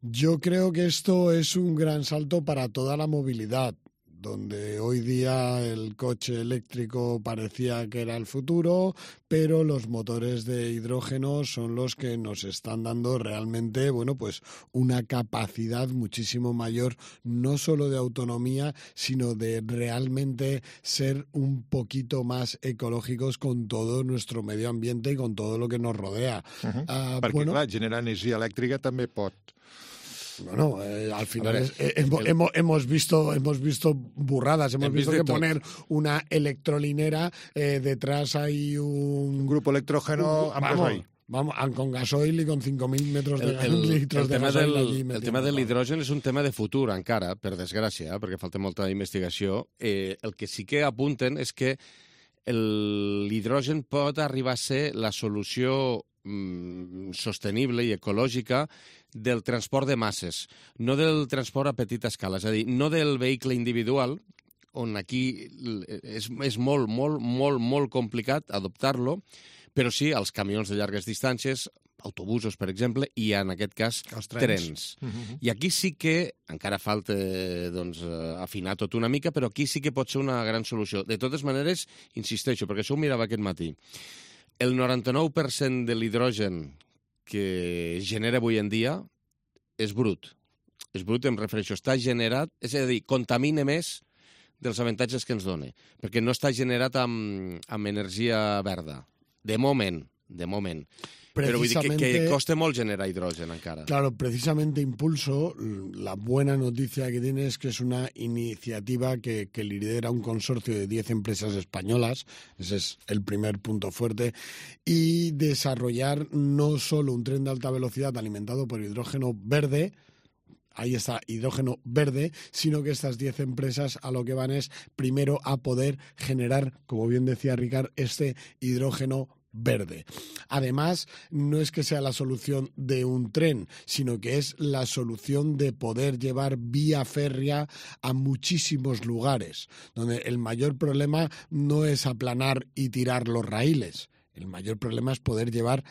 Speaker 18: Yo creo que esto es un gran salto para toda la movilidad, donde hoy día el coche eléctrico parecía que era el futuro, pero los motores de hidrógeno son los que nos están dando realmente, bueno, pues una capacidad muchísimo mayor, no solo de autonomía, sino de realmente ser un poquito más ecológicos con todo nuestro medio ambiente y con todo lo que nos rodea.
Speaker 17: Uh-huh. Uh, Perquè, bueno, clar, generar energia elèctrica també pot...
Speaker 18: Bueno, eh, al final ver, es, eh, hemos, el... hemos, hemos, visto, hemos visto burradas, hemos visto que tot. poner una electrolinera, eh, detrás hay un...
Speaker 17: Un grupo electrógeno
Speaker 18: un, vamos, gasoil. Vamos, con gasoil y con cinco mil metros de, el, el, litros
Speaker 2: el
Speaker 18: de
Speaker 2: tema
Speaker 18: gasoil.
Speaker 2: Del,
Speaker 18: allí
Speaker 2: el tema de l'hidrogen és un tema de futur encara, per desgràcia, perquè falta molta investigació. Eh, el que sí que apunten és que l'hidrogen pot arribar a ser la solució sostenible i ecològica del transport de masses, no del transport a petita escala, és a dir, no del vehicle individual, on aquí és, és molt, molt, molt, molt complicat adoptar-lo, però sí als camions de llargues distàncies, autobusos, per exemple, i en aquest cas
Speaker 17: trens.
Speaker 2: trens. Uh-huh. I aquí sí que, encara falta doncs, afinar tot una mica, però aquí sí que pot ser una gran solució. De totes maneres, insisteixo, perquè això ho mirava aquest matí, el noranta-nou per cent de l'hidrogen que es genera avui en dia és brut. És brut, em refereixo, està generat, és a dir, contamina més dels avantatges que ens dona, perquè no està generat amb, amb energia verda. De moment, de moment. Pero que, que coste molt generar hidrógeno encara.
Speaker 18: Claro, precisamente Impulso, la buena noticia que tiene es que es una iniciativa que, que lidera un consorcio de diez empresas españolas, ese es el primer punto fuerte, y desarrollar no solo un tren de alta velocidad alimentado por hidrógeno verde, ahí está, hidrógeno verde, sino que estas diez empresas a lo que van es primero a poder generar, como bien decía Ricard, este hidrógeno verde. Además, no es que sea la solución de un tren, sino que es la solución de poder llevar vía férrea a muchísimos lugares, donde el mayor problema no es aplanar y tirar los raíles. El mayor problema es poder llevar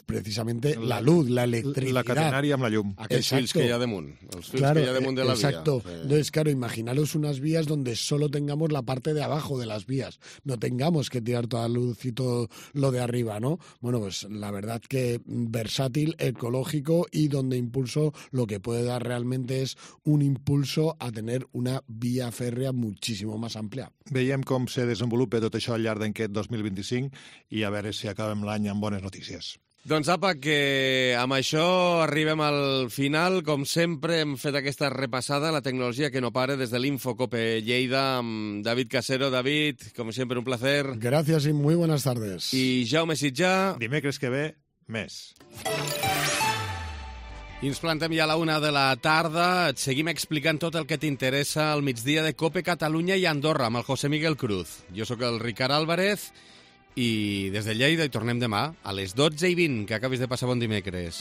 Speaker 18: precisamente la, la luz, la electricidad.
Speaker 17: La catenària amb la llum.
Speaker 2: Aquests fils que hi ha damunt. Els fils
Speaker 18: claro,
Speaker 2: que hi ha damunt de la
Speaker 18: exacto.
Speaker 2: vía.
Speaker 18: Entonces, claro, imaginaros unas vías donde solo tengamos la parte de abajo de las vías. No tengamos que tirar toda la luz y todo lo de arriba, ¿no? Bueno, pues la verdad que versátil, ecológico y donde Impulso lo que puede dar realmente es un impulso a tener una vía férrea muchísimo más amplia.
Speaker 17: Veiem com se desenvolupa tot això al llarg d'aquest dos mil vint-i-cinc i a veure si acabem l'any amb bones notícies.
Speaker 2: Doncs apa, que amb això arribem al final. Com sempre, hem fet aquesta repassada a la tecnologia que no para des de l'Infocope Lleida amb David Casero. David, com sempre, un placer.
Speaker 18: Gracias y muy buenas tardes.
Speaker 2: I Jaume Sitjà.
Speaker 17: Dimecres que ve, més.
Speaker 2: I ens plantem ja a la una de la tarda. Et seguim explicant tot el que t'interessa al migdia de Cope Catalunya i Andorra amb el José Miguel Cruz. Jo sóc el Ricard Álvarez i des de Lleida hi tornem demà a les dotze i vint. Que acabis de passar bon dimecres.